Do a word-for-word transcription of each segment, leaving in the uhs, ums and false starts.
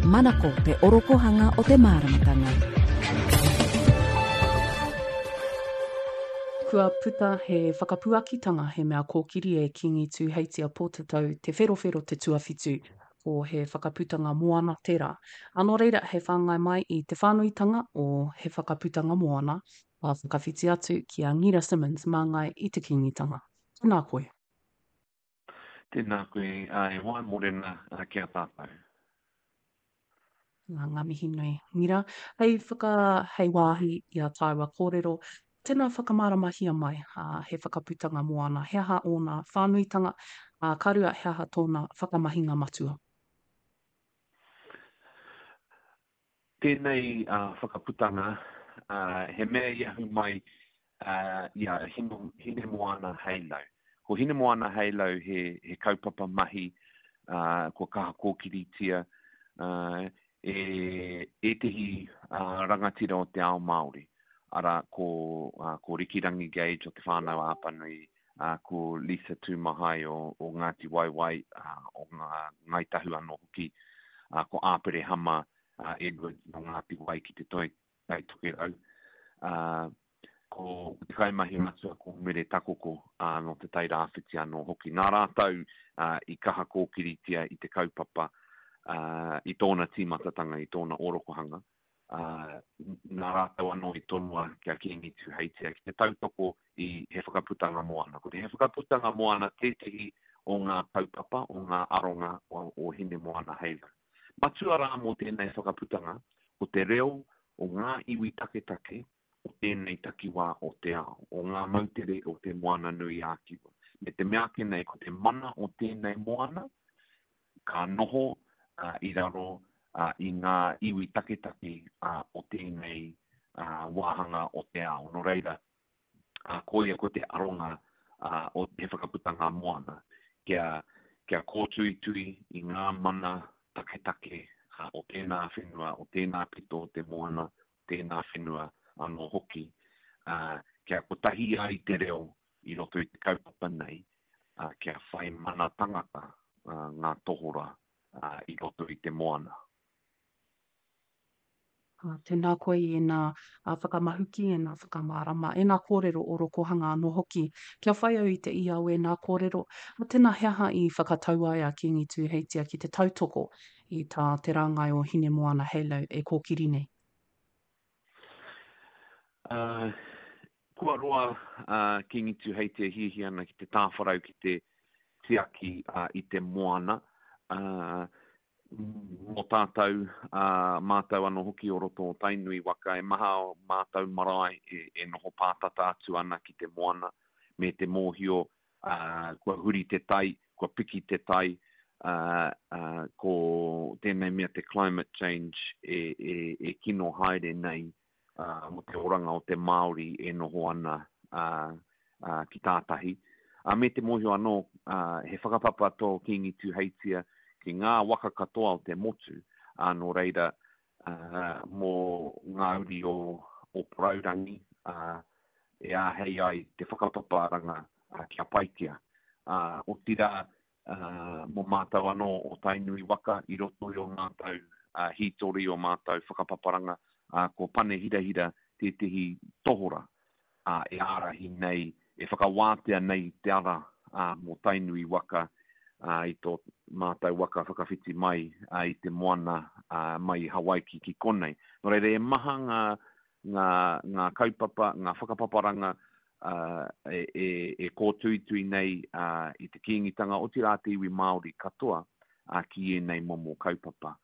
Manako te orokohanga o te māramatanga. Kua puta he whakapuakitanga he mea kōkiri e Kīngi Tūheitia Pōtatau Te Wherowhero Te Tuawhitu, ko He Whakaputanga Moana tērā. Ā, nō reira, hei whāngai mai i te whānuitanga o He Whakaputanga Moana, ka whakawhiti atu ki a Ngira Simmonds māngai i te Kīngitanga. Tēnā koe. Tēnā koe, e hoa, morena ki a tātou. Nā, ngā mihi nui. Ngira, hei whaka, hei wāhi i a tāua kōrero, tēnā whakamāramahia mai, ā, He Whakaputanga Moana, he aha ōna whānuitanga, ā, ka rua, he aha tōna whakamahinga matua? Tēnei whakaputanga, he mea i ahu mai i a Hinemoana Heilau. Ko Hinemoana Heilau he kaupapa mahi kua kaha kōkiritia e ētehi rangatira o te ao Māori, arā, ko Rikirangi Gage o Te Whānau-a-Apanui, ko Lisa Tūmahai o Ngāti Waewae, o Ngāi Tahu anō hoki, ko Āperehama Edwards nō Ngāti Wai ki Te Toi Tai Tokerau, ko te kaimahi matua ko Mere Takoko nō Te Tai Rāwhiti anō hoki. Nā rātou i kaha kōkiritia i te kaupapa i tōna tīmatatanga, i tōna orokohanga, nā rātou anō i tonoa ki a Kīngi Tūheitia ki te tautoko i He Whakaputanga Moana. Ko te He Whakaputanga Moana tētehi o ngā kaupapa, o ngā aronga o Hinemoana Heilau. Matua rā mō tēnei whakaputanga, ko te reo o ngā iwi taketake o tēnei takiwā o te ao, o ngā moutere o Te Moana-nui-ā-Kiwa. Me te mea ake nei, ko te mana o tēnei moana, ka noho i raro i ngā iwi taketake o tēnei wāhanga o te ao. Nō reira, koia ko te aronga o He Whakaputanga Moana, kia, kia kōtuitui i ngā mana taketake o tēnā whenua, o tēnā pito o te moana, tēnā whenua anō hoki, kia kotahi ai te reo i roto i te kaupapa nei, kia whai mana tangata ngā tohora i roto i te moana. Tēnā koe i ēnā whakamahuki, ēnā whakamārama, ēnā kōrero orokohanga anō hoki. Kia whai au i te ia o ēnā kōrero, tēnā he aha i whakatau ai a Kīngi Tūheitia ki te tautoko i tā te rāngai o Hinemoana Heilau e kōkiri nei? Uh, kua roa uh, Kīngi Tūheitia hiahia ana ki te tāwharau ki te tiaki uh, i te moana. Uh, mō tātou, uh, mātou anō hoki o roto o Tainui waka, e maha o mātou marae e, e noho pātata atu ana ki te moana, me te mōhio uh, kua huri te tai, kua piki te tai, uh, uh, ko tēnei mea te climate change e, e, e kino haere nei uh, mō te oranga o te Māori e noho ana uh, uh, ki tātahi. Uh, me te mōhio anō, uh, he whakapapa tō Kīngi Tūheitia ki ngā waka katoa o te motu, uh, nō reira uh, mō ngā uri o, o Porourangi, uh, e āhei ai te whakapaparanga uh, kia paitia. Uh, otirā, uh, mō mātou anō o Tainui waka i roto i o mātou uh, hītori, o mātou whakapaparanga, uh, ko Pane Hirahira tētehi tohora uh, e ārahi nei, e whakawātea nei te ara uh, mō Tainui waka uh, i tō mātou waka whakawhiti mai uh, i te moana uh, mai i Hawaiki ki konei. Nō reira, e maha ngā, ngā, ngā kaupapa, ngā whakapaparanga uh, e, e, e kōtuitui nei uh, i te Kīngitanga, otirā te iwi Māori katoa uh, ki ēnei momo kaupapa.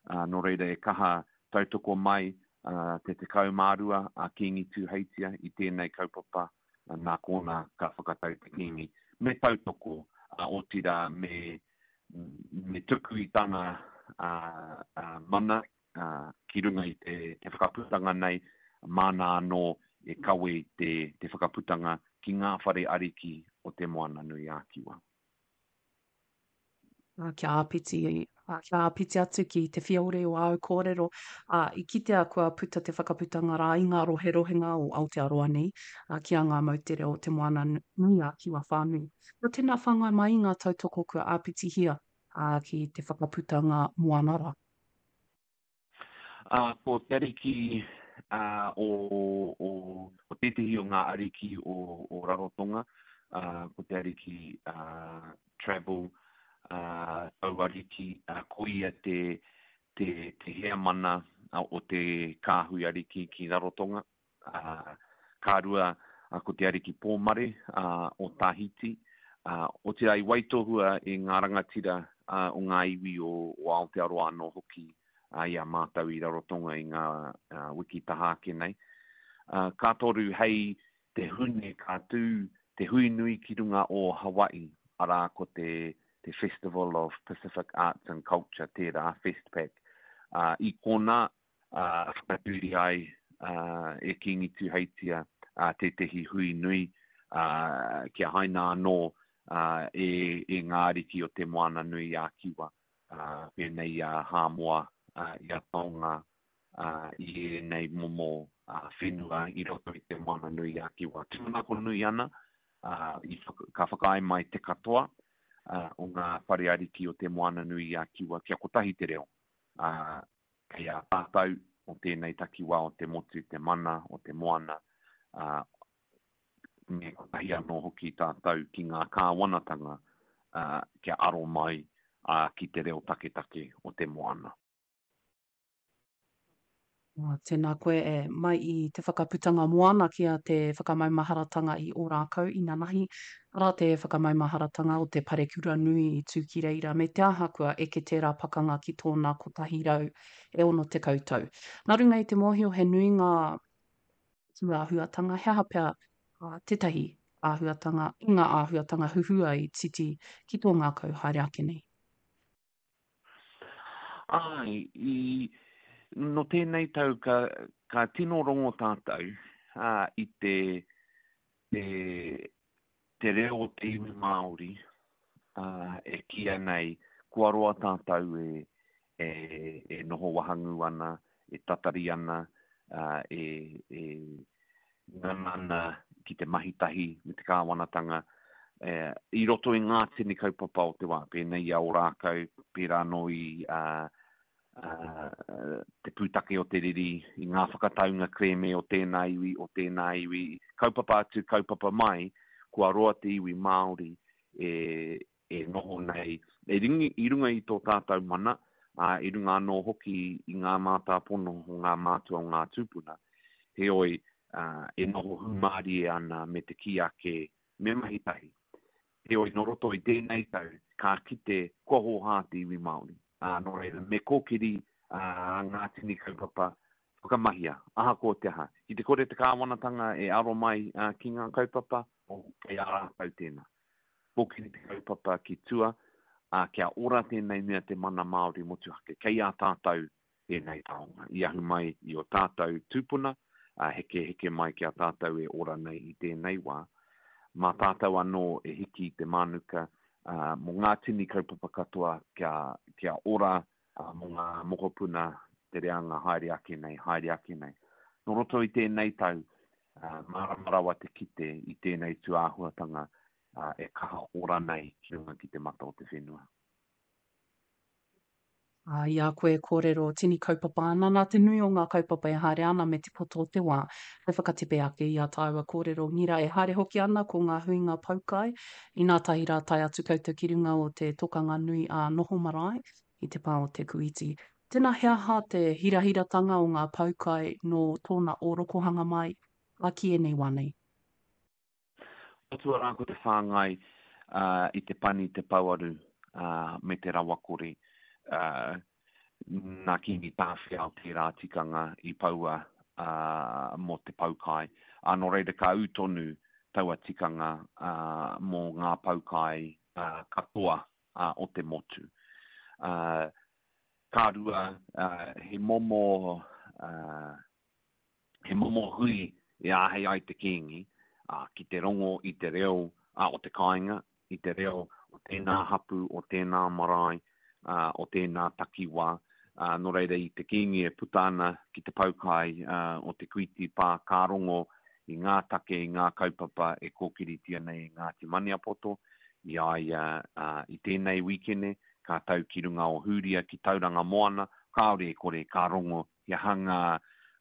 Uh, nō reira, e kaha tautoko mai uh, te tekau mā rua a Kīngi Tūheitia i tēnei kaupapa, uh, nā kōna ka whakatau te Kīngi. Me tautoko, uh, otirā me, me tuku i tana uh, uh, mana uh, ki runga i te, te whakaputanga nei, māna anō e kawe i te, te whakaputanga ki ngā whare ariki o te Moana-nui-ā-Kiwa. Kia āpiti, kia āpiti atu ki te whiore o āu kōrero, ā, i kitea kua puta te whakaputanga rā i ngā roherohenga o Aotearoa nei, ā, ki a ngā moutere o Te Moana-nui-ā-Kiwa whānui. Nō tēnā whāngai mai i ngā tautoko kua āpitihia, ā, ki te whakaputanga moana rā. Ā, ko te ariki ā, o, o, o tētehi o ngā ariki o, o Rarotonga, ā, ko te ariki ā, Travel, ā, tau ariki, ā, ko ia te, te, te heamana o te kāhui ariki ki Rarotonga. Ā, ka rua, ā, ko te ariki Pōmare ā, o Tahiti, ā, otirā i waitohua e ngā rangatira ā, o ngā iwi o, o Aotearoa anō hoki ā, i a mātou i Rarotonga i ngā ā, wiki taha ake nei. Ā, ka toru hei te Hune ka tū te hui nui ki runga o Hawaii, arā ko te, te Festival of Pacific Arts and Culture tērā, FestPac. Ā, i konā ā, whakatūria ai ā, e Kīngi Tūheitia ā, tētehi hui nui ā, kia haina anō ā, e, e ngā ariki o te Moana Nui a Kiwa, ā, pēnei i a Hāmoa, ā, i a Tonga, ā, i ēnei momo ā, whenua i roto i te Moana Nui a Kiwa. Tūmanako nui ana, ā, i whaka, ka whakaae mai te katoa ā, o ngā whare ariki o te Moana Nui a Kiwa kia kotahi te reo. Ā, kei a tātou o tēnei takiwā o te motu, te mana, o te moana, ā, me kotahi anō hoki tātou ki ngā kāwanatanga ā, kia aro mai ā, ki te reo taketake o te moana. Oh, tēnā koe e, mai i te whakaputanga moana ki a te whakamaumaharatanga i Ōrākau inanahi, arā te whakamaumaharatanga o te parekura nui i tū ki reira, me te aha kua eke tērā pakanga ki tōna kotahi rau e ono tekau tau. Nā runga i te mōhio he nui ngā tūāhuatanga, he aha pea uh, tētahi āhuatanga, i ngā āhuatanga huhua i titi ki tō ngākau haere ake nei? Ai, i, no tēnei tau ka, ka tino rongo tātou ā, i te, te, te reo o te iwi Māori ā, e kīia nei kua roa tātou e, e, e noho wahangū ana, e tatari ana, ā, e, e ngana ana ki te mahi tahi me te kāwanatanga e, i roto i ngā tini kaupapa o te wā, pēnei i a Ōrākau, pērā anō i ā, ā, te pūtake o te riri, i ngā whakataunga kerēme o tēnā iwi, o tēnā iwi, kaupapa atu, kaupapa mai, kua roa te iwi Māori e, e noho nei, e ringi, i runga i tō tātou mana, ā, i runga anō hoki i ngā mātāpono o ngā mātua o ngā tūpuna. Heoi, ā, e noho hūmārie ana me te kī ake, me mahi tahi. Heoi, nō roto i tēnei tau, ka kite kua hōhā te iwi Māori. Ā, nō reira, me kōkiri ā, ngā tini kaupapa whakamahia, ahakoa te aha. Ki te kore te kāwanatanga e aro mai ā, ki ngā kaupapa, o, kei a rātou tēnā. Kōkiri te kaupapa ki tua, ā, kia ora tēnei mea te mana Māori motuhake. Kei a tātou tēnei taonga. I ahu mai i o tātou tūpuna, ā, heke heke mai ki a tātou e ora nei i tēnei wā. Mā tātou anō e hiki i te mānuka ā, mō ngā tini kaupapa katoa kia, kia ora ā, mō ngā mokopuna te reanga haere ake nei, haere ake nei. Nō roto i tēnei tau, ā, mārama rawa te kite i tēnei tūāhuatanga ā, e kaha ora nei ki runga ki te mata o te whenua. Ā, i a koe e kōrero tini kaupapa ana, nā te nui o ngā kaupapa e haere ana me te poto o te wā, hei whakatepe ake i a tāua kōrero ngira e haere hoki ana ko ngā huinga poukai, inā tahi rā tae atu koutou ki runga o te tokanga nui a Noho Marae i te pā o Te Kūiti. Tēnā he aha te hirahiratanga o ngā poukai nō tōna ōrokohanga mai, ā, ki ēnei wā nei? Matua rā ko te whāngai uh, i te pani, te pouaru uh, me te rawakore. Uh, nā Kīngi Tāwhiao tērā tikanga i paua uh, mō te poukai. Ā, nō reira ka ū tonu taua tikanga uh, mō ngā poukai uh, katoa uh, o te motu. Uh, ka rua, uh, he momo, uh, he momo hui e āhei ai te Kīngi uh, ki te rongo i te reo uh, o te kāinga, i te reo o tēnā hapu, o tēnā marae, uh, o tēnā takiwā. Uh, nō reira i te Kīngi e puta ana ki te poukai uh, o te Kuiti Pā ka rongo i ngā take, i ngā kaupapa e kōkiritia nei e Ngāti Maniapoto, i a ia uh, i tēnei wīkene, ka tau ki runga o Hūria ki Tauranga Moana, kāore e kore ka rongo he aha ngā,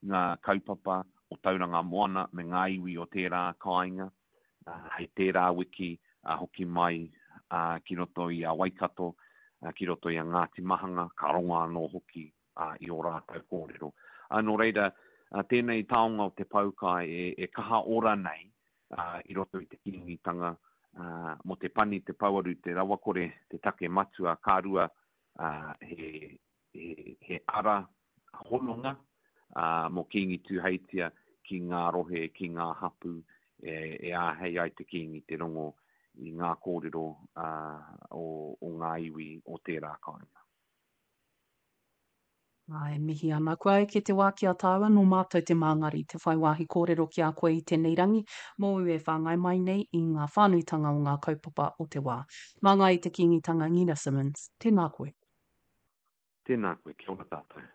ngā kaupapa o Tauranga Moana me ngā iwi o tērā kāinga. Hei tērā wiki hoki mai ki roto i a Waikato, ki roto i a Ngāti Mahanga, ka rongo anō hoki i ō rātou kōrero. Nō reira, tēnei taonga o te poukai e, e kaha ora nei i roto i te Kīngitanga, mō te pani, te pouaru, te rawakore, te take matua, ka rua he, he, he ara hononga mō Kīngi Tūheitia ki ngā rohe, ki ngā hapū, e, e āhei ai te Kīngi te rongo i ngā kōrero o, o ngā iwi o tērā kāinga. Ā, e mihi ana. Kua eke te wā ki a tāua, nō mātou te māngari, te whai wāhi kōrero ki a koe i tēnei rangi, mōu e whāngai mai nei i ngā whānuitanga o ngā kaupapa o te wā. Māngai i te Kīngitanga Ngina Simmonds, tēnā koe. Tēnā koe, kia ora tātou.